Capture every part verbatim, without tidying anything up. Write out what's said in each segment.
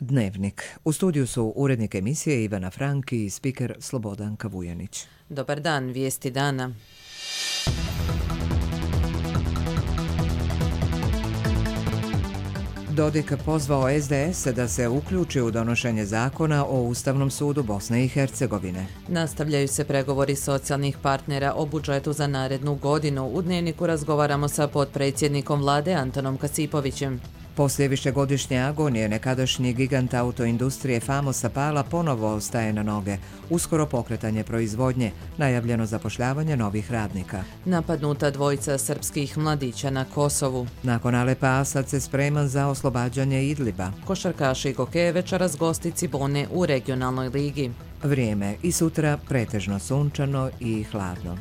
Dnevnik. U studiju su urednik emisije Ivana Frank i spiker Slobodan Kavujanić. Dobar dan, vijesti dana. Dodik pozvao es de es da se uključi u donošenje zakona o Ustavnom sudu Bosne i Hercegovine. Nastavljaju se pregovori socijalnih partnera o budžetu za narednu godinu. U Dnevniku razgovaramo sa potpredsjednikom vlade Antonom Kasipovićem. Poslije višegodišnje agonije nekadašnji gigant autoindustrije Famosa Pala ponovo staje na noge. Uskoro pokretanje proizvodnje, najavljeno zapošljavanje novih radnika. Napadnuta dvojica srpskih mladića na Kosovu. Nakon Alepa Asad se spreman za oslobađanje Idliba. Košarkaši Gokeje večeras gosti Cibone u regionalnoj ligi. Vrijeme i sutra pretežno sunčano i hladno.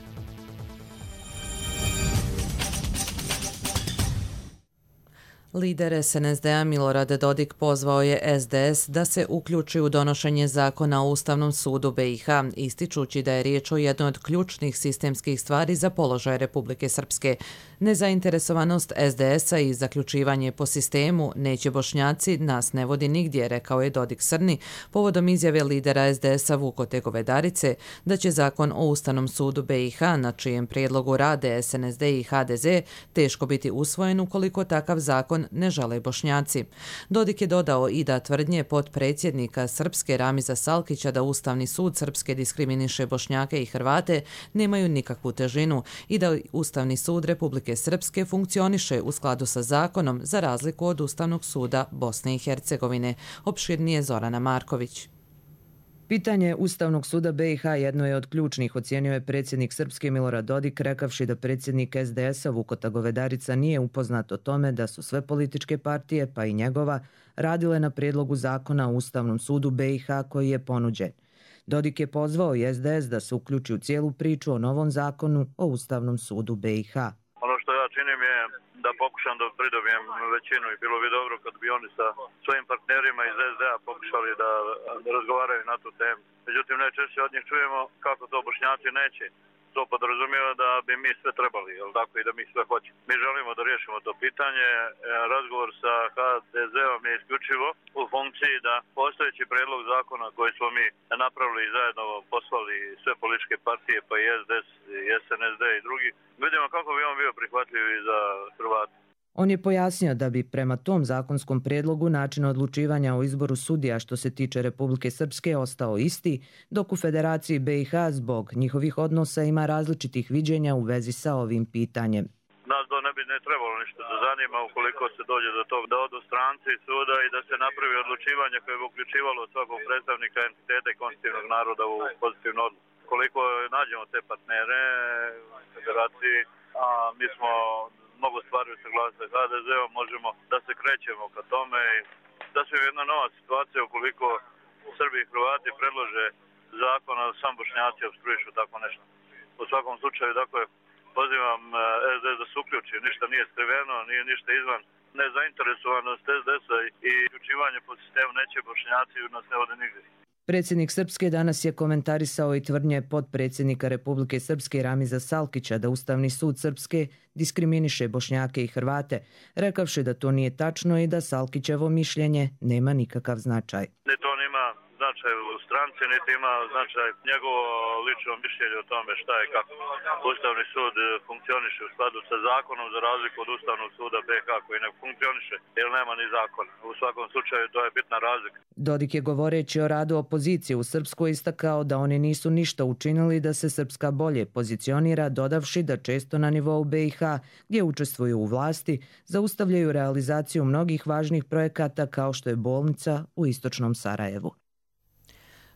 Lider es en es de a Milorad Dodik pozvao je es de es da se uključi u donošenje zakona o Ustavnom sudu be i ha, ističući da je riječ o jednoj od ključnih sistemskih stvari za položaj Republike Srpske. Nezainteresovanost es de es a i zaključivanje po sistemu neće Bošnjaci nas ne vodi nigdje, rekao je Dodik Srni povodom izjave lidera es de es a Vukote Govedarice da će zakon o Ustavnom sudu be i ha, na čijem prijedlogu rade es en es de i ha de ze, teško biti usvojen ukoliko takav zakon ne žele Bošnjaci. Dodik je dodao i da tvrdnje potpredsjednika Srpske Ramiza Salkića da Ustavni sud Srpske diskriminiše Bošnjake i Hrvate nemaju nikakvu težinu i da Ustavni sud Republike Srpske funkcioniše u skladu sa zakonom za razliku od Ustavnog suda Bosne i Hercegovine. Opširnije Zorana Marković. Pitanje Ustavnog suda be i ha jedno je od ključnih, ocijenio je predsjednik Srpske Milorad Dodik, rekavši da predsjednik es de es a Vukota Govedarica nije upoznat o tome da su sve političke partije, pa i njegova, radile na prijedlogu zakona o Ustavnom sudu be i ha koji je ponuđen. Dodik je pozvao i es de es da se uključi u cijelu priču o novom zakonu o Ustavnom sudu be i ha. Ono što ja činim je da pokušam da pridobijem većinu i bilo bi dobro kad bi oni sa svojim partnerima iz es de a pokušali da, da razgovaraju na tu temu. Međutim, najčešće od njih čujemo kako to Bošnjaci neće. To podrazumijeva da bi mi sve trebali, jel tako, i da mi sve hoćemo. Mi želimo da riješimo to pitanje. Razgovor sa ha de zeom je isključivo u funkciji da postojeći prijedlog zakona koji smo mi napravili i zajedno poslali sve političke partije, pa i es de es, i es en es de i drugi, vidimo kako bi on bio prihvatljiv i za Hrvate. On je pojasnio da bi prema tom zakonskom prijedlogu način odlučivanja o izboru sudija što se tiče Republike Srpske ostao isti, dok u Federaciji be i ha zbog njihovih odnosa ima različitih viđenja u vezi sa ovim pitanjem. Nas to ne bi ne trebalo ništa da zanima ukoliko se dođe do tog da odu stranci suda i da se napravi odlučivanje koje bi uključivalo svakog predstavnika entiteta i konstitutivnog naroda u pozitivnu odluku. Koliko nađemo te partnere u Federaciji, a mi smo mnogo stvari u saglasnosti sa ha de zeom, možemo da se krećemo ka tome i da se jedna nova situacija ukoliko Srbi i Hrvati predlože zakon, a sam Bošnjaci obstruišu tako nešto. U svakom slučaju, dakle, pozivam es de es da se uključi, ništa nije skriveno, nije ništa izvan nezainteresovanost es de es a i uključivanje po sistemu neće Bošnjaci nas ne vode nigdje. Predsjednik Srpske danas je komentarisao i tvrdnje potpredsjednika Republike Srpske Ramiza Salkića da Ustavni sud Srpske diskriminiše Bošnjake i Hrvate, rekavši da to nije tačno i da Salkićevo mišljenje nema nikakav značaj. Ne, to nema značaj u stranci, niti ima značaj njegovo lično mišljenje o tome šta je kako. Ustavni sud funkcioniše u skladu sa zakonom za razliku od Ustavnog suda be i ha koji ne funkcioniše jer nema ni zakon. U svakom slučaju to je bitna razlika. Dodik je govoreći o radu opozicije u Srpskoj istakao da oni nisu ništa učinili da se Srpska bolje pozicionira, dodavši da često na nivou be i ha, gdje učestvuju u vlasti, zaustavljaju realizaciju mnogih važnih projekata kao što je bolnica u istočnom Sarajevu.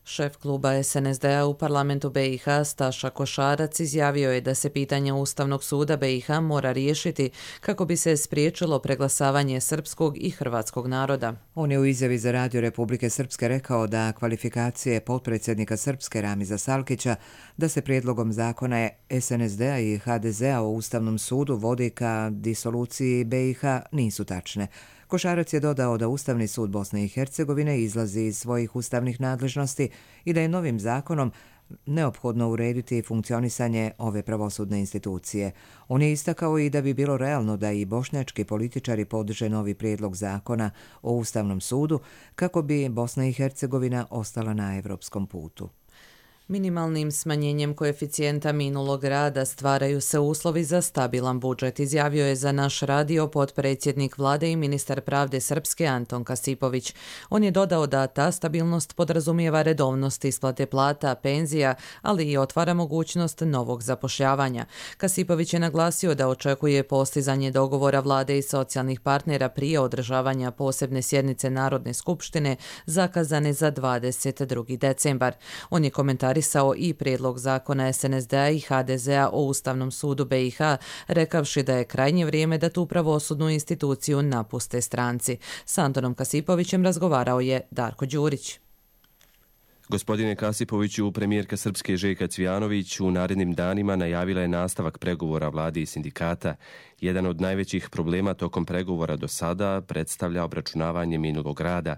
Šef kluba es en es de a u parlamentu be i ha Staša Košarac izjavio je da se pitanje Ustavnog suda be i ha mora riješiti kako bi se spriječilo preglasavanje srpskog i hrvatskog naroda. On je u izjavi za Radio Republike Srpske rekao da kvalifikacije potpredsjednika Srpske Ramiza Salkića da se prijedlogom zakona es en es de a i ha de zea o Ustavnom sudu vodi ka disoluciji be i ha nisu tačne. Košarac je dodao da Ustavni sud Bosne i Hercegovine izlazi iz svojih ustavnih nadležnosti i da je novim zakonom neophodno urediti funkcionisanje ove pravosudne institucije. On je istakao i da bi bilo realno da i bošnjački političari podrže novi prijedlog zakona o Ustavnom sudu kako bi Bosna i Hercegovina ostala na evropskom putu. Minimalnim smanjenjem koeficijenta minulog rada stvaraju se uslovi za stabilan budžet, izjavio je za naš radio potpredsjednik vlade i ministar pravde Srpske Anton Kasipović. On je dodao da ta stabilnost podrazumijeva redovnost isplate plata, penzija, ali i otvara mogućnost novog zapošljavanja. Kasipović je naglasio da očekuje postizanje dogovora vlade i socijalnih partnera prije održavanja posebne sjednice Narodne skupštine zakazane za dvadeset drugi decembar. On je komentarisao i prijedlog zakona es en es de a i ha de zea o Ustavnom sudu be i ha, rekavši da je krajnje vrijeme da tu pravosudnu instituciju napuste stranci. S Antonom Kasipovićem razgovarao je Darko Đurić. Gospodine Kasipoviću, premijerka Srpske Željka Cvijanović u narednim danima najavila je nastavak pregovora vlade i sindikata. Jedan od najvećih problema tokom pregovora do sada predstavlja obračunavanje minulog rada.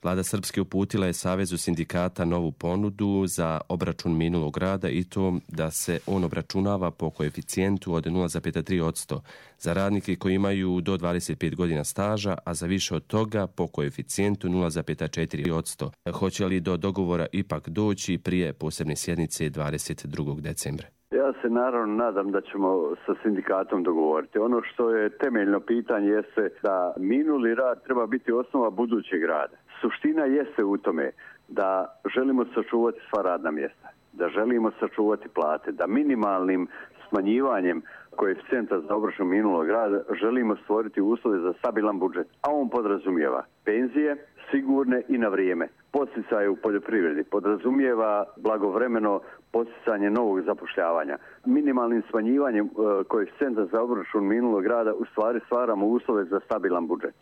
Vlada Srpske uputila je Savezu sindikata novu ponudu za obračun minulog rada i to da se on obračunava po koeficijentu od nula zarez tri posto za radnike koji imaju do dvadeset pet godina staža, a za više od toga po koeficijentu nula zarez četiri posto. Hoće li do dogovora ipak doći prije posebne sjednice dvadeset drugog decembra? Ja se naravno nadam da ćemo sa sindikatom dogovoriti. Ono što je temeljno pitanje jeste da minuli rad treba biti osnova budućeg rada. Suština jeste u tome da želimo sačuvati sva radna mjesta, da želimo sačuvati plate, da minimalnim smanjivanjem koeficijenta za obračun minulog rada želimo stvoriti uslove za stabilan budžet, a on podrazumijeva penzije sigurne i na vrijeme, podsticaje u poljoprivredi, podrazumijeva blagovremeno podsticanje novog zapošljavanja. Minimalnim smanjivanjem koeficijenta za obračun minulog rada u stvari stvaramo uslove za stabilan budžet.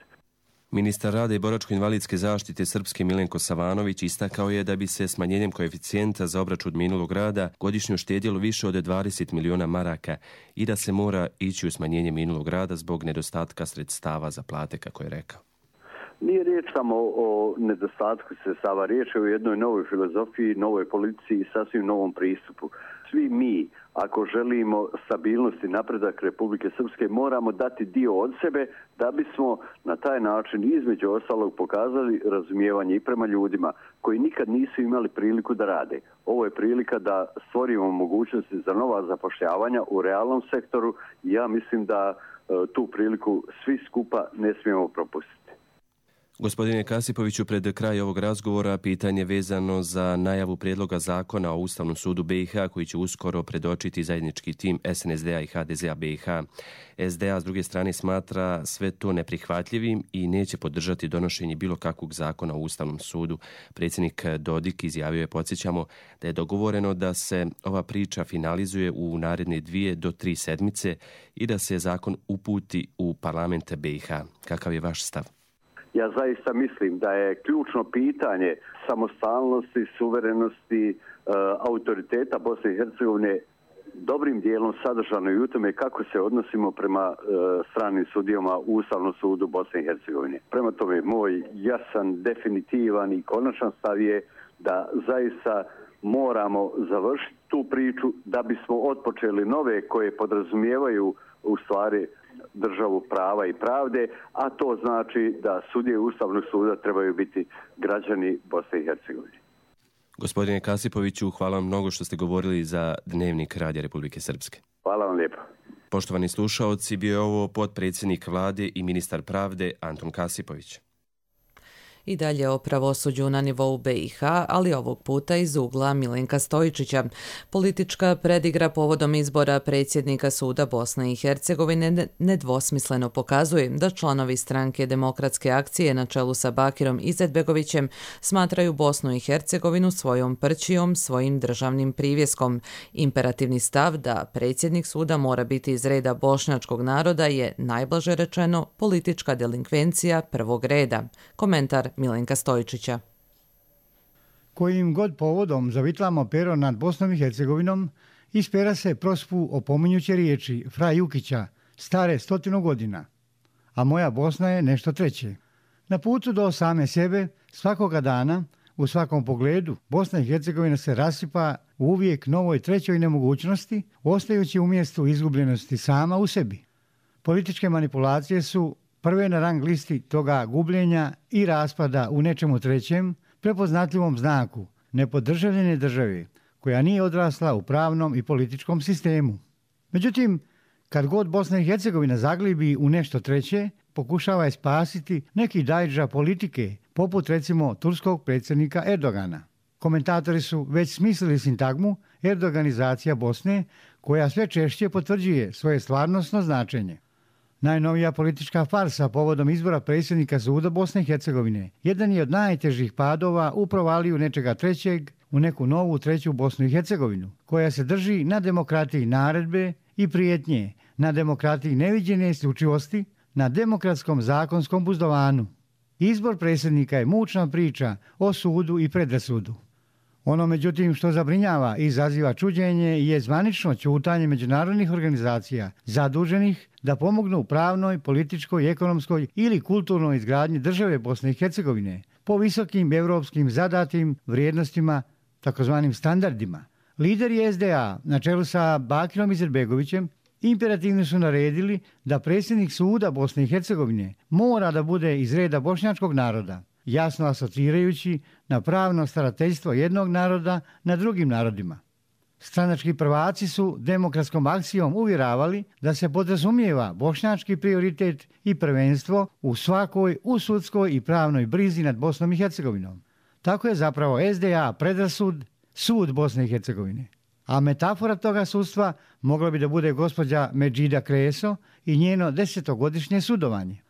Ministar rada i boračko-invalidske zaštite Srpske Milenko Savanović istakao je da bi se smanjenjem koeficijenta za obračun minulog rada godišnje uštedjelo više od dvadeset miliona maraka i da se mora ići u smanjenje minulog rada zbog nedostatka sredstava za plate, kako je rekao. Nije riječ samo o nedostatku sredstava, riječ je o jednoj novoj filozofiji, novoj politici i sasvim novom pristupu. Svi mi, ako želimo stabilnost i napredak Republike Srpske, moramo dati dio od sebe da bismo na taj način između ostalog pokazali razumijevanje i prema ljudima koji nikad nisu imali priliku da rade. Ovo je prilika da stvorimo mogućnosti za nova zapošljavanja u realnom sektoru i ja mislim da e, tu priliku svi skupa ne smijemo propustiti. Gospodine Kasipoviću, pred kraj ovog razgovora pitanje vezano za najavu prijedloga zakona o Ustavnom sudu be i ha koji će uskoro predočiti zajednički tim es en es de a i ha de zea be i ha. es de a s druge strane smatra sve to neprihvatljivim i neće podržati donošenje bilo kakvog zakona o Ustavnom sudu. Predsjednik Dodik izjavio je, podsjećamo, da je dogovoreno da se ova priča finalizuje u naredne dvije do tri sedmice i da se zakon uputi u parlament be i ha. Kakav je vaš stav? Ja zaista mislim da je ključno pitanje samostalnosti, suverenosti, e, autoriteta Bosne i Hercegovine dobrim dijelom sadržano i u tome kako se odnosimo prema e, stranim sudijama u Ustavnom sudu Bosne i Hercegovine. Prema tome, moj jasan, definitivan i konačan stav je da zaista moramo završiti tu priču da bismo otpočeli nove koje podrazumijevaju u stvari državu prava i pravde, a to znači da sudije Ustavnog suda trebaju biti građani Bosne i Hercegovine. Gospodine Kasipoviću, hvala vam mnogo što ste govorili za Dnevnik Radija Republike Srpske. Hvala vam lijepo. Poštovani slušaoci, bio je ovo potpredsjednik vlade i ministar pravde Anton Kasipović. I dalje o pravosuđu na nivou be i ha, ali ovog puta iz ugla Milenka Stojičića. Politička predigra povodom izbora predsjednika suda Bosne i Hercegovine nedvosmisleno pokazuje da članovi stranke Demokratske akcije na čelu sa Bakirom Izetbegovićem smatraju Bosnu i Hercegovinu svojom prćijom, svojim državnim privjeskom. Imperativni stav da predsjednik suda mora biti iz reda bošnjačkog naroda je, najblaže rečeno, politička delinkvencija prvog reda. Komentar Milenka Stojičića. Kojim god povodom zavitlamo pero nad Bosnom i Hercegovinom, ispera se prospu opominjuće riječi Fra Jukića, stare stotinu godina. a moja Bosna je nešto treće. Na putu do same sebe, svakoga dana, u svakom pogledu, Bosna i Hercegovina se rasipa u uvijek novoj trećoj nemogućnosti, ostajući u mjestu izgubljenosti sama u sebi. Političke manipulacije su prve na rang listi toga gubljenja i raspada u nečemu trećem, prepoznatljivom znaku nepodržavljene države, koja nije odrasla u pravnom i političkom sistemu. Međutim, kad god Bosna i Hercegovina zaglibi u nešto treće, pokušava je spasiti neki dajdža politike, poput recimo turskog predsjednika Erdogana. Komentatori su već smislili sintagmu erdoganizacija Bosne, koja sve češće potvrđuje svoje stvarnosno značenje. Najnovija politička farsa povodom izbora predsjednika suda Bosne i Hercegovine jedan je od najtežih padova u provaliju nečega trećeg u neku novu treću Bosnu i Hercegovinu, koja se drži na demokratiji naredbe i prijetnje, na demokratiji neviđene isključivosti, na demokratskom zakonskom buzdovanu. Izbor predsjednika je mučna priča o sudu i predrasudu. Ono, međutim, što zabrinjava i izaziva čuđenje je zvanično ćutanje međunarodnih organizacija zaduženih da pomognu pravnoj, političkoj, ekonomskoj ili kulturnoj izgradnji države Bosne i Hercegovine po visokim europskim zadatim vrijednostima, takozvanim standardima. Lideri es de a na čelu sa Bakirom Izetbegovićem imperativno su naredili da predsjednik suda Bosne i Hercegovine mora da bude iz reda bošnjačkog naroda, jasno asocirajući na pravno starateljstvo jednog naroda na drugim narodima. Stranački prvaci su demokratskom akcijom uvjeravali da se podrazumijeva bošnjački prioritet i prvenstvo u svakoj usudskoj i pravnoj brizi nad Bosnom i Hercegovinom. Tako je zapravo es de a predrasud sud Bosne i Hercegovine. A metafora toga sudstva mogla bi da bude gospođa Medžida Kreso i njeno desetogodišnje sudovanje.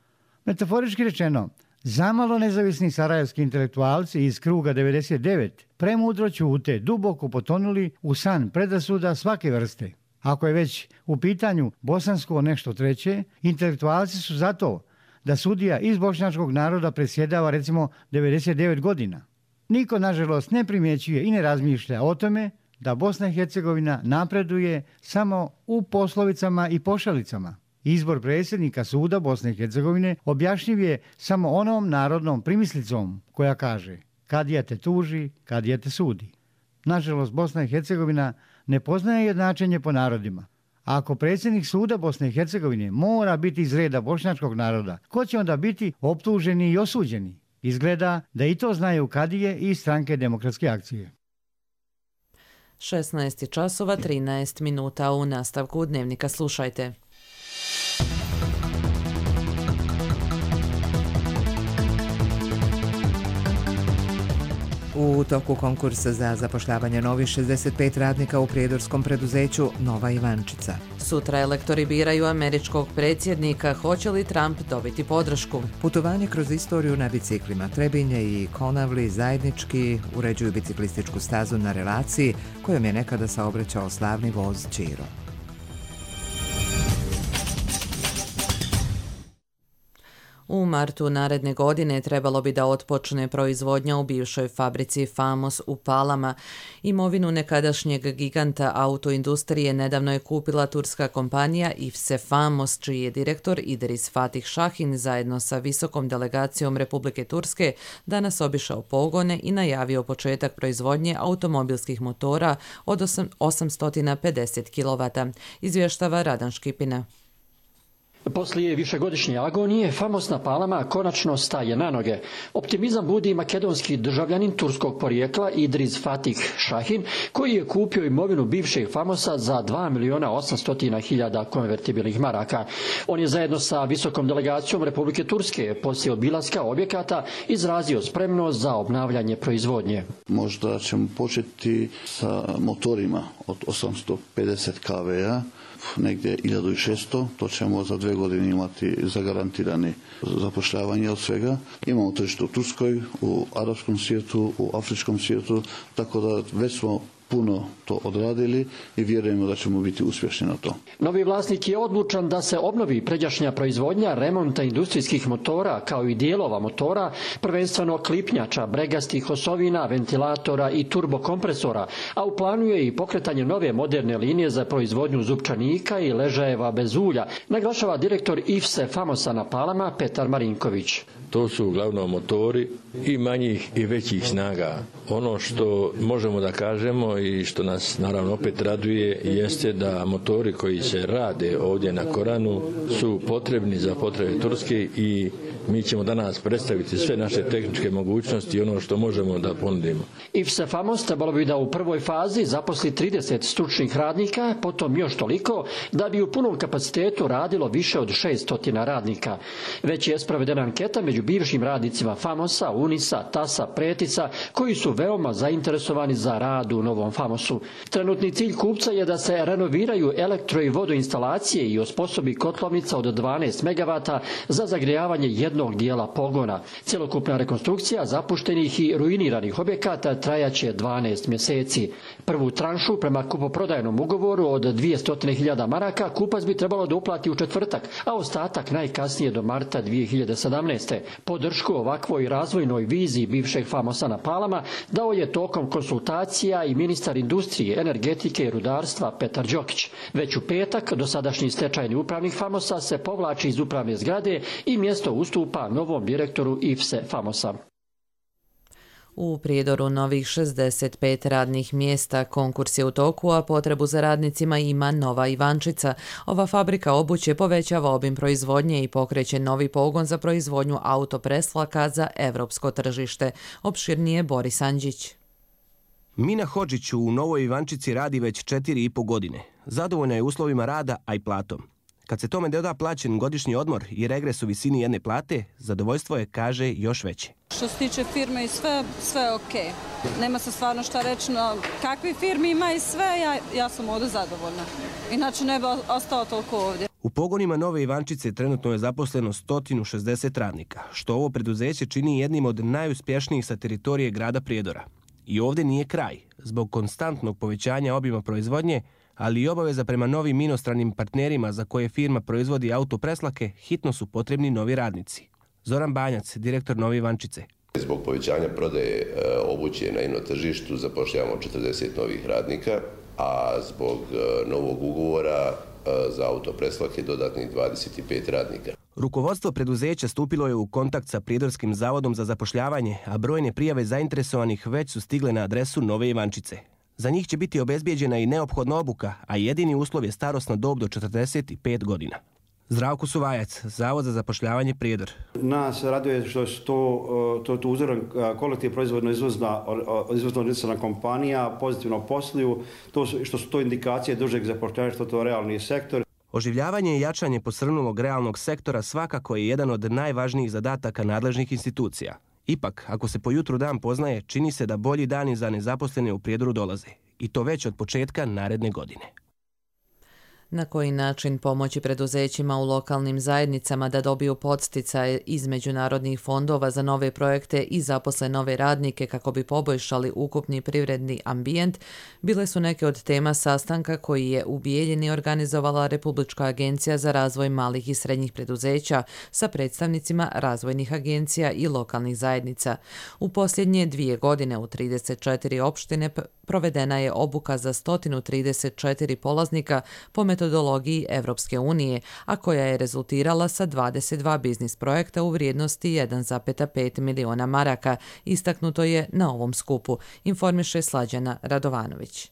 Metaforički rečeno, zamalo nezavisni sarajevski intelektualci iz kruga devedeset devet premudro ćute, duboko potonuli u san predrasuda svake vrste. Ako je već u pitanju bosansko nešto treće, intelektualci su zato da sudija iz bošnjačkog naroda presjedava recimo devedeset devet godina. Niko, nažalost, ne primjećuje i ne razmišlja o tome da Bosna i Hercegovina napreduje samo u poslovicama i pošalicama. Izbor predsjednika suda Bosne i Hercegovine objašnjiv je samo onom narodnom primislicom koja kaže kadija te tuži, kadija te sudi. Nažalost, Bosna i Hercegovina ne poznaje jednačenje po narodima. A ako predsjednik suda Bosne i Hercegovine mora biti iz reda bošnjačkog naroda, ko će onda biti optuženi i osuđeni? Izgleda da i to znaju kadije i stranke demokratske akcije. šesnaest časova trinaest minuta. U nastavku Dnevnika slušajte. U toku konkursa za zapošljavanje novih šezdeset pet radnika u prijedorskom preduzeću Nova Ivančica. Sutra elektori biraju američkog predsjednika. Hoće li Trump dobiti podršku? Putovanje kroz istoriju na biciklima. Trebinje i Konavli zajednički uređuju biciklističku stazu na relaciji kojom je nekada saobraćao slavni voz Čiro. U martu naredne godine trebalo bi da otpočne proizvodnja u bivšoj fabrici Famos u Palama. Imovinu nekadašnjeg giganta autoindustrije nedavno je kupila turska kompanija Ifse Famos, čiji je direktor Idris Fatih Šahin zajedno sa visokom delegacijom Republike Turske danas obišao pogone i najavio početak proizvodnje automobilskih motora od osamsto pedeset kilovata, izvještava Radan Škipina. Poslije višegodišnje agonije, famosna Palama konačno staje na noge. Optimizam budi makedonski državljanin turskog porijekla Idris Fatih Šahin, koji je kupio imovinu bivšeg Famosa za dva miliona osamsto hiljada konvertibilnih maraka. On je zajedno sa visokom delegacijom Republike Turske poslije obilaska objekata izrazio spremnost za obnavljanje proizvodnje. Možda ćemo početi sa motorima od osamsto pedeset kilovata, negdje hiljadu šesto, to ćemo za dve godine imati zagarantirane zapošljavanje od svega. Imamo tržište u Turskoj, u arapskom svijetu, u afričkom svijetu, tako da već smo puno to odradili i vjerujemo da ćemo biti uspješni na to. Novi vlasnik je odlučan da se obnovi pređašnja proizvodnja remonta industrijskih motora kao i dijelova motora, prvenstveno klipnjača, bregastih osovina, ventilatora i turbokompresora, a u planu je i pokretanje nove moderne linije za proizvodnju zupčanika i ležajeva bez ulja, naglašava direktor I F S E Famosa na Palama Petar Marinković. To su uglavnom motori i manjih i većih snaga. Ono što možemo da kažemo i što nas naravno opet raduje jeste da motori koji se rade ovdje na Koranu su potrebni za potrebe Turske i mi ćemo danas predstaviti sve naše tehničke mogućnosti i ono što možemo da ponudimo. I F S E Famos trebalo bi da u prvoj fazi zaposli trideset stručnih radnika, potom još toliko, da bi u punom kapacitetu radilo više od šesto radnika. Već je sprovedena anketa među bivšim radnicima Famosa, Unisa, Tasa, Pretica, koji su veoma zainteresovani za rad u novom Famosu. Trenutni cilj kupca je da se renoviraju elektro- i vodoinstalacije i osposobi kotlovnica od dvanaest megavata za zagrijavanje jednog dijela pogona. Cjelokupna rekonstrukcija zapuštenih i ruiniranih objekata trajaće dvanaest mjeseci. Prvu tranšu prema kupoprodajnom ugovoru od dvjesto hiljada maraka kupac bi trebalo da uplati u četvrtak, a ostatak najkasnije do marta dvije hiljade sedamnaeste. Podršku ovakvoj razvojnoj viziji bivšeg Famosa na Palama dao je tokom konsultacija i ministar industrije, energetike i rudarstva Petar Đokić. Već u petak dosadašnji stečajni upravnik Famosa se povlači iz upravne zgrade i mjesto ustupa novom direktoru I F S E Famosa. U Prijedoru novih šezdeset pet radnih mjesta, konkurs je u toku, a potrebu za radnicima ima Nova Ivančica. Ova fabrika obuće povećava obim proizvodnje i pokreće novi pogon za proizvodnju autopreslaka za evropsko tržište. Opširnije Boris Andžić. Mina Hodžić u Novoj Ivančici radi već četiri i po godine. Zadovoljna je uslovima rada, a i platom. Kad se tome doda plaćen godišnji odmor i regres u visini jedne plate, zadovoljstvo je, kaže, još veće. Što se tiče firme i sve, sve je okej. Nema se stvarno šta reći, no kakvi firmi ima i sve, ja, ja sam ovdje zadovoljna. Inače ne bi ostao toliko ovdje. U pogonima Nove Ivančice trenutno je zaposleno sto šezdeset radnika, što ovo preduzeće čini jednim od najuspješnijih sa teritorije grada Prijedora. I ovdje nije kraj. Zbog konstantnog povećanja obima proizvodnje, ali i obaveza prema novim inostranim partnerima za koje firma proizvodi autopreslake, hitno su potrebni novi radnici. Zoran Banjac, direktor Nove Ivančice. Zbog povećanja prodaje obuće na ino tržištu zapošljavamo četrdeset novih radnika, a zbog novog ugovora za autopreslake dodatnih dvadeset pet radnika. Rukovodstvo preduzeća stupilo je u kontakt sa Prijedorskim zavodom za zapošljavanje, a brojne prijave zainteresovanih već su stigle na adresu Nove Ivančice. Za njih će biti obezbijeđena i neophodna obuka, a jedini uslov je starosna dob do četrdeset pet godina. Zdravko Suvajac, Zavod za zapošljavanje Prijedor. Nas raduje što je to, to, to uzoran kolektiv proizvodno izvozna, izvozno organizirana kompanija, pozitivno posluju, to što su to indikacije dužeg zapošljavanja, što to je realni sektor. Oživljavanje i jačanje posrnulog realnog sektora svakako je jedan od najvažnijih zadataka nadležnih institucija. Ipak, ako se po jutru dan poznaje, čini se da bolji dani za nezaposlene u Prijedoru dolaze. I to već od početka naredne godine. Na koji način pomoći preduzećima u lokalnim zajednicama da dobiju podsticaje iz međunarodnih fondova za nove projekte i zaposle nove radnike kako bi poboljšali ukupni privredni ambijent, bile su neke od tema sastanka koji je u Bijeljini organizovala Republička agencija za razvoj malih i srednjih preduzeća sa predstavnicima razvojnih agencija i lokalnih zajednica. U posljednje dvije godine u trideset četiri opštine provedena je obuka za sto trideset četiri polaznika po metodologiji Evropske unije, a koja je rezultirala sa dvadeset dva biznis projekta u vrijednosti jedan zarez pet miliona maraka, istaknuto je na ovom skupu, informiše Slađana Radovanović.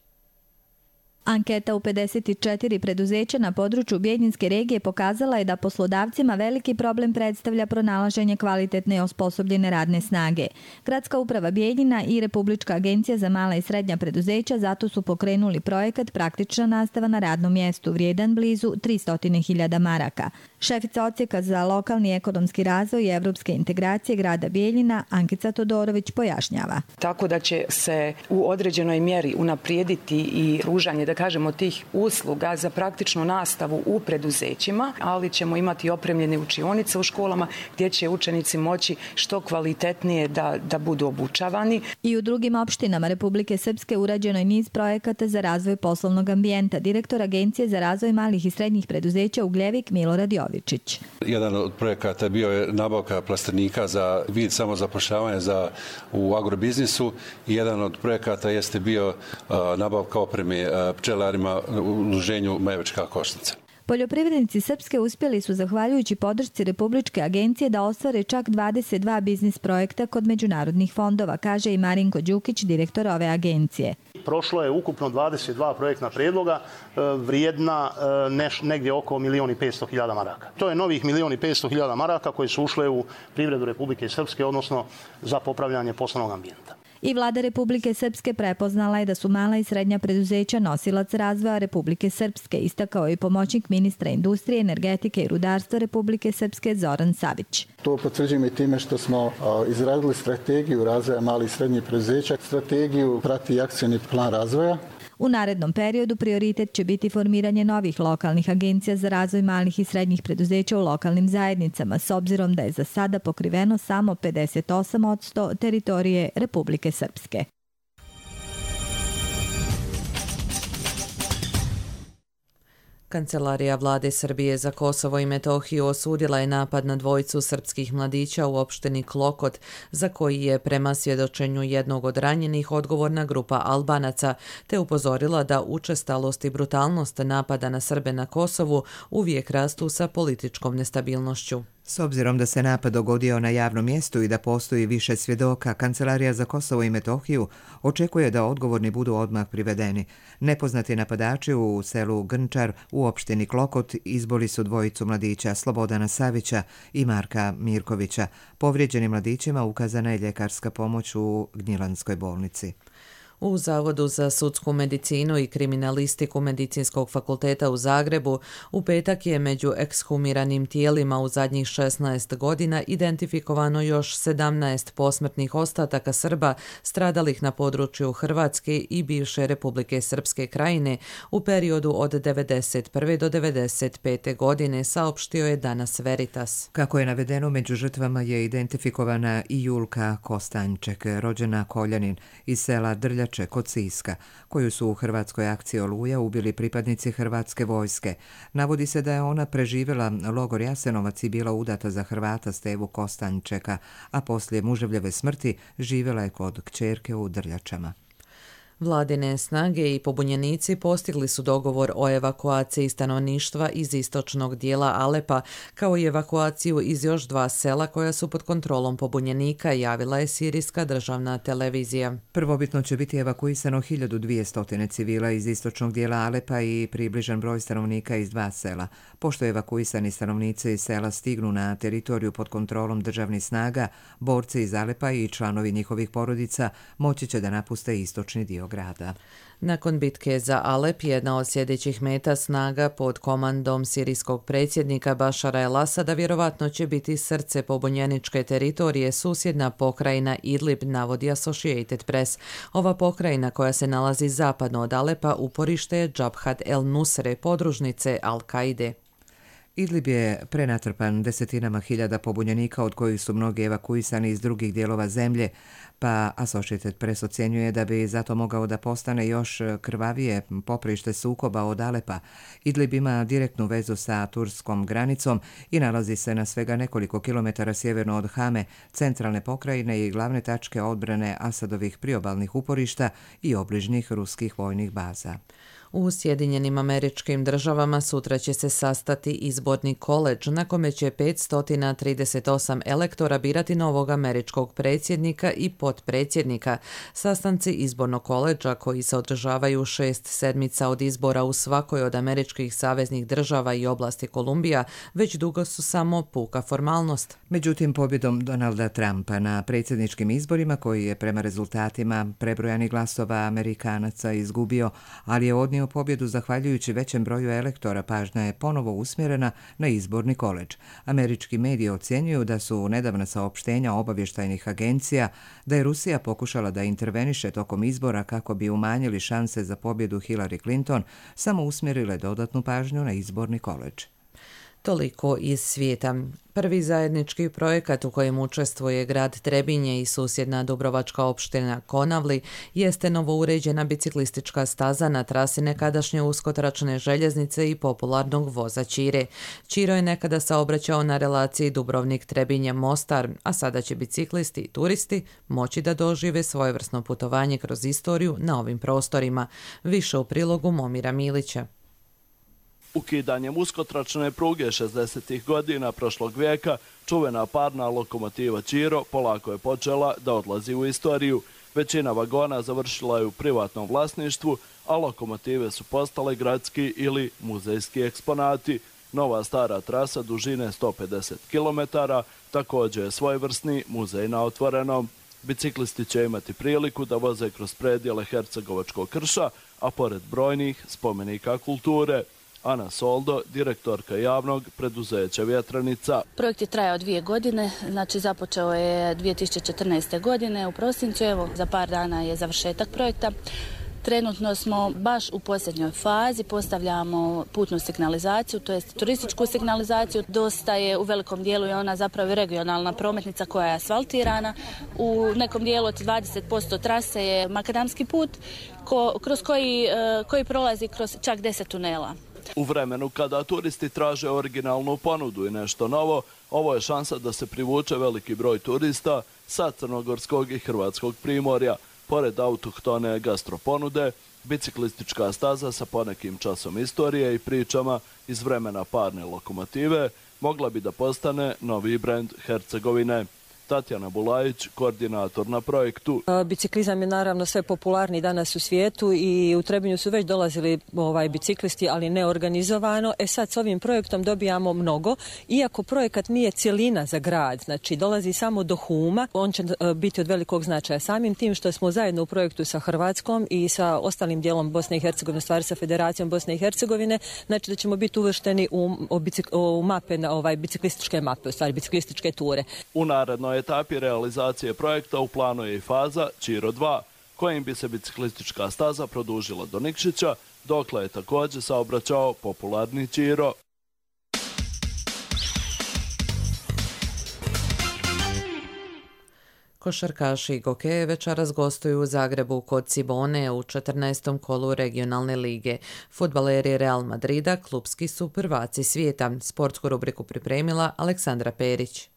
Anketa u pedeset četiri preduzeća na području Bijeljinske regije pokazala je da poslodavcima veliki problem predstavlja pronalaženje kvalitetne i osposobljene radne snage. Gradska uprava Bijeljina i Republička agencija za mala i srednja preduzeća zato su pokrenuli projekat Praktična nastava na radnom mjestu vrijedan blizu tristo hiljada maraka. Šefica odsjeka za lokalni ekonomski razvoj i evropske integracije grada Bijeljina, Ankica Todorović, pojašnjava. Tako da će se u određenoj mjeri unaprijediti i pružanje, da da kažemo, tih usluga za praktičnu nastavu u preduzećima, ali ćemo imati opremljene učionice u školama gdje će učenici moći što kvalitetnije da, da budu obučavani. I u drugim opštinama Republike Srpske urađeno je niz projekata za razvoj poslovnog ambijenta. Direktor Agencije za razvoj malih i srednjih preduzeća Ugljevik Milorad Jovičić. Jedan od projekata bio je nabavka plastenika za vid samozapošljavanja za, u agrobiznisu i jedan od projekata jeste bio uh, nabavka opreme uh, pčelarima u udruženju Majevička košnica. Poljoprivrednici Srpske uspjeli su, zahvaljujući podršci Republičke agencije, da ostvare čak dvadeset dva biznis projekta kod međunarodnih fondova, kaže i Marinko Đukić, direktor ove agencije. Prošlo je ukupno dvadeset dva projektna predloga vrijedna neš, negdje oko milijon i petsto hiljada maraka. To je novih milijon i petsto hiljada maraka koje su ušle u privredu Republike Srpske, odnosno za popravljanje poslovnog ambijenta. I vlada Republike Srpske prepoznala je da su mala i srednja preduzeća nosilac razvoja Republike Srpske, istakao je pomoćnik ministra industrije, energetike i rudarstva Republike Srpske Zoran Savić. To potvrđujemo i time što smo izradili strategiju razvoja malih i srednjih preduzeća. Strategiju prati akcioni plan razvoja. U narednom periodu prioritet će biti formiranje novih lokalnih agencija za razvoj malih i srednjih preduzeća u lokalnim zajednicama, s obzirom da je za sada pokriveno samo pedeset osam posto teritorije Republike Srpske. Kancelarija vlade Srbije za Kosovo i Metohiju osudila je napad na dvojicu srpskih mladića u opštini Klokot, za koji je prema svjedočenju jednog od ranjenih odgovorna grupa Albanaca, te upozorila da učestalost i brutalnost napada na Srbe na Kosovu uvijek rastu sa političkom nestabilnošću. S obzirom da se napad dogodio na javnom mjestu i da postoji više svjedoka, Kancelarija za Kosovo i Metohiju očekuje da odgovorni budu odmah privedeni. Nepoznati napadači u selu Grnčar u opštini Klokot izboli su dvojicu mladića Slobodana Savića i Marka Mirkovića. Povrijeđenim mladićima ukazana je ljekarska pomoć u Gnjilanskoj bolnici. U Zavodu za sudsku medicinu i kriminalistiku Medicinskog fakulteta u Zagrebu u petak je među ekshumiranim tijelima u zadnjih šesnaest godina identifikovano još sedamnaest posmrtnih ostataka Srba stradalih na području Hrvatske i bivše Republike Srpske krajine u periodu od devedeset prve do devedeset pete godine, saopštio je danas Veritas. Kako je navedeno, među žrtvama je identifikovana i Julka Kostanjček, rođena Koljanin iz sela Drljač kod Siska, koju su u hrvatskoj akciji Oluja ubili pripadnici hrvatske vojske. Navodi se da je ona preživjela logor Jasenovac i bila udata za Hrvata Stevu Kostanjčeka, a poslije muževljeve smrti živjela je kod kćerke u Drljačama. Vladine snage i pobunjenici postigli su dogovor o evakuaciji stanovništva iz istočnog dijela Alepa, kao i evakuaciju iz još dva sela koja su pod kontrolom pobunjenika, javila je sirijska državna televizija. Prvobitno će biti evakuisano hiljadu dvjesto civila iz istočnog dijela Alepa i približan broj stanovnika iz dva sela. Pošto evakuisani stanovnici iz sela stignu na teritoriju pod kontrolom državnih snaga, borci iz Alepa i članovi njihovih porodica moći će da napuste istočni dio grada. Nakon bitke za Alep, jedna od sljedećih meta snaga pod komandom sirijskog predsjednika Bašara el-Asada vjerovatno će biti srce pobunjeničke teritorije, susjedna pokrajina Idlib, navodi Associated Press. Ova pokrajina, koja se nalazi zapadno od Alepa, uporište je Džabhat el-Nusre, podružnice Al-Kaide. Idlib je prenatrpan desetinama hiljada pobunjenika, od kojih su mnogi evakuisani iz drugih dijelova zemlje, pa Associated Press ocjenjuje da bi zato mogao da postane još krvavije poprište sukoba od Alepa. Idlib ima direktnu vezu sa turskom granicom i nalazi se na svega nekoliko kilometara sjeverno od Hame, centralne pokrajine i glavne tačke odbrane Asadovih priobalnih uporišta i obližnjih ruskih vojnih baza. U Sjedinjenim Američkim Državama sutra će se sastati izborni koledž, na kome će petsto trideset osam elektora birati novog američkog predsjednika i potpredsjednika. Sastanci izbornog koledža, koji se održavaju šest sedmica od izbora u svakoj od američkih saveznih država i oblasti Kolumbija, već dugo su samo puka formalnost. Međutim, pobjedom Donalda Trumpa na predsjedničkim izborima, koji je prema rezultatima prebrojanih glasova Amerikanaca izgubio, ali je odnio donio pobjedu zahvaljujući većem broju elektora, pažnja je ponovo usmjerena na izborni koledž. Američki mediji ocjenjuju da su nedavna saopštenja obavještajnih agencija da je Rusija pokušala da interveniše tokom izbora kako bi umanjili šanse za pobjedu Hillary Clinton, samo usmjerile dodatnu pažnju na izborni koledž. Toliko iz svijeta. Prvi zajednički projekat u kojem učestvuje grad Trebinje i susjedna dubrovačka opština Konavli jeste novouređena biciklistička staza na trasi nekadašnje uskotračne željeznice i popularnog voza Ćire. Ćiro je nekada saobraćao na relaciji Dubrovnik-Trebinje-Mostar, a sada će biciklisti i turisti moći da dožive svojevrsno putovanje kroz istoriju na ovim prostorima. Više u prilogu Momira Milića. Ukidanjem uskotračne pruge šezdesetih godina prošlog vijeka, čuvena parna lokomotiva Ćiro polako je počela da odlazi u istoriju. Većina vagona završila je u privatnom vlasništvu, a lokomotive su postale gradski ili muzejski eksponati. Nova stara trasa dužine sto pedeset kilometara također je svojevrsni muzej na otvorenom. Biciklisti će imati priliku da voze kroz predjele Hercegovačkog krša, a pored brojnih spomenika kulture. Ana Soldo, direktorka javnog preduzeća Vjetranica. Projekt je trajao dvije godine, znači započeo je dvije tisuće četrnaeste. godine u prosincu, evo za par dana je završetak projekta. Trenutno smo baš u posljednjoj fazi, postavljamo putnu signalizaciju, to jest turističku signalizaciju. Dosta je u velikom dijelu je ona zapravo regionalna prometnica koja je asfaltirana. U nekom dijelu od dvadeset posto trase je makadamski put ko, kroz koji, koji prolazi kroz čak deset tunela. U vremenu kada turisti traže originalnu ponudu i nešto novo, ovo je šansa da se privuče veliki broj turista sa crnogorskog i hrvatskog primorja. Pored autohtone gastroponude, biciklistička staza sa ponekim časom istorije i pričama iz vremena parne lokomotive mogla bi da postane novi brend Hercegovine. Tatjana Bulajić, koordinator na projektu. Biciklizam je naravno sve popularniji danas u svijetu i u Trebinju su već dolazili ovaj, biciklisti, ali neorganizovano. E sad s ovim projektom dobijamo mnogo, iako projekat nije cjelina za grad, znači dolazi samo do Huma, on će biti od velikog značaja. Samim tim što smo zajedno u projektu sa Hrvatskom i sa ostalim dijelom Bosne i Hercegovine, stvari sa Federacijom Bosne i Hercegovine, znači da ćemo biti uvršteni u, u mape, na ovaj, biciklističke mape, u stvari biciklističke ture. U narednoj etapi realizacije projekta u planu je i faza Ćiro dva, kojim bi se biciklistička staza produžila do Nikšića, dokle je također saobraćao popularni Ćiro. Košarkaši Gokeje večeras gostuju u Zagrebu kod Cibone u četrnaestom kolu regionalne lige. Fudbaleri Real Madrida klupski su prvaci svijeta. Sportsku rubriku pripremila Aleksandra Perić.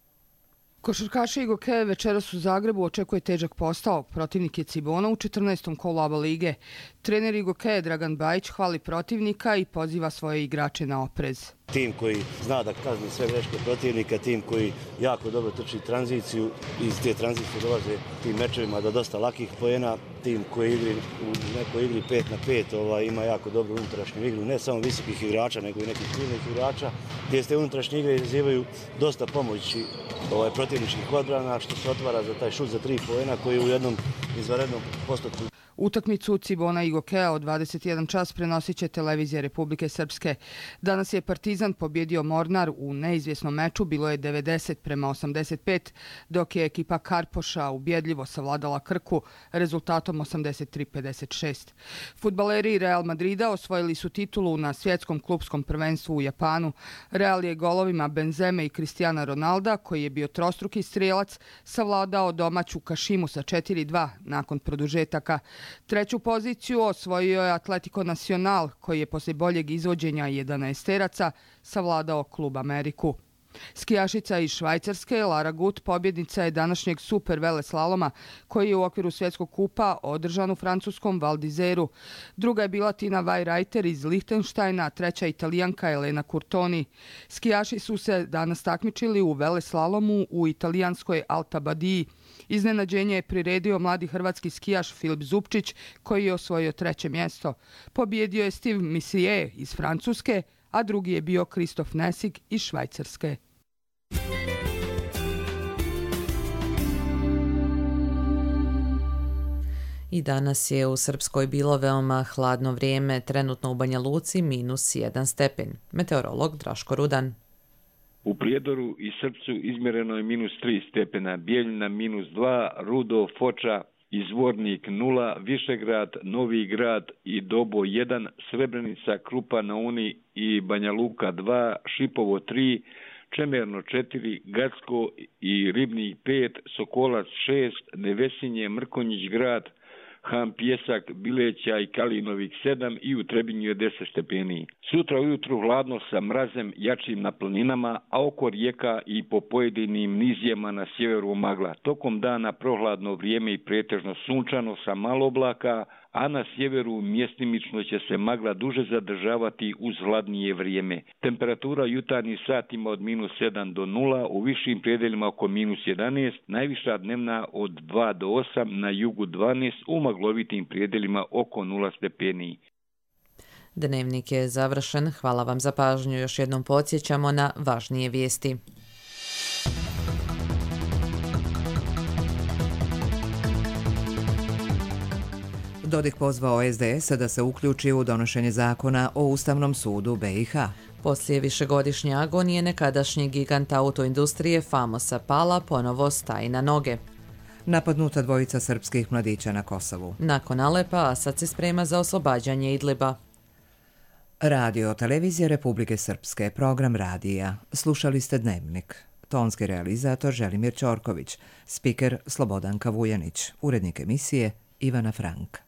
Košarkaši i Gokeje večeras u Zagrebu očekuje težak posao. Protivnik je Cibona u četrnaestom kolu A B A lige. Trener i Gokeje Dragan Bajić hvali protivnika i poziva svoje igrače na oprez. Tim koji zna da kazni sve greške protivnika, tim koji jako dobro trči tranziciju i iz te tranzicije dolaze tim mečevima do dosta lakih poena, tim koji igri u nekoj igri pet na pet ovaj, ima jako dobru unutrašnju igru, ne samo visokih igrača, nego i nekih ključnih igrača, gdje ste unutrašnje igre izazivaju dosta pomoći ovaj, protivničkih odbrana, što se otvara za taj šut za tri poena koji u jednom izvanrednom postotku. Utakmicu Cibona i Gokeja od dvadeset jedan čas prenosit će televizija Republike Srpske. Danas je Partizan pobjedio Mornar u neizvjesnom meču, bilo je devedeset prema osamdeset pet, dok je ekipa Karpoša ubjedljivo savladala Krku rezultatom osamdeset tri pedeset šest. Fudbaleri Real Madrida osvojili su titulu na svjetskom klupskom prvenstvu u Japanu. Real je golovima Benzeme i Cristiana Ronalda, koji je bio trostruki strijelac, savladao domaću Kašimu sa četiri dva nakon produžetaka. Treću poziciju osvojio je Atletico Nacional, koji je poslije boljeg izvođenja jedanaesteraca savladao Klub Ameriku. Skijašica iz Švajcarske Lara Gut pobjednica je današnjeg super veleslaloma koji je u okviru svjetskog kupa održan u francuskom Val d'Izeru. Druga je bila Tina Weirreiter iz Lichtensteina, treća Italijanka Elena Curtoni. Skijaši su se danas takmičili u veleslalomu u italijanskoj Alta Badiji. Iznenađenje je priredio mladi hrvatski skijaš Filip Zupčić koji je osvojio treće mjesto. Pobjedio je Steve Missier iz Francuske, a drugi je bio Kristof Nesig iz Švajcarske. I danas je u Srpskoj bilo veoma hladno vrijeme, trenutno u Banja Luci minus jedan stepen. Meteorolog Draško Rudan. U Prijedoru i Srpcu izmjereno je minus tri stepena, Bijeljina minus dva, Rudo, Foča, Izvornik nula, Višegrad, Novi Grad i Dobo jedan, Srebrenica, Krupa na Uni i Banja Luka dva, Šipovo tri, Čemerno četiri, Gacko i Ribnik pet, Sokolac šest, Nevesinje, Mrkonjić grad, Ham Pjesak, Bileća i Kalinovik sedam i u Trebinju je deset stepeni. Sutra ujutru hladno sa mrazem jačim na planinama, a oko rijeka i po pojedinim nizijama na sjeveru magla. Tokom dana prohladno vrijeme i pretežno sunčano sa malo oblaka, a na sjeveru mjestimično će se magla duže zadržavati uz hladnije vrijeme. Temperatura jutarnjih satima od minus sedam do nula, u višim predeljima oko minus jedanaest, najviša dnevna od dva do osam, na jugu dvanaest, u maglovitim predeljima oko nula stepeni. Dnevnik je završen. Hvala vam za pažnju. Još jednom podsjećamo na važnije vijesti. Dodik pozvao es de es da se uključi u donošenje zakona o Ustavnom sudu be i ha. Poslije višegodišnje agonije nekadašnji gigant autoindustrije Famosa Pala ponovo staje na noge. Napadnuta dvojica srpskih mladića na Kosovu. Nakon Alepa, Asad se sprema za oslobađanje Idliba. Radio televizija Republike Srpske, program radija. Slušali ste Dnevnik. Tonski realizator Želimir Ćorković, spiker Slobodanka Vujanić, urednik emisije Ivana Frank.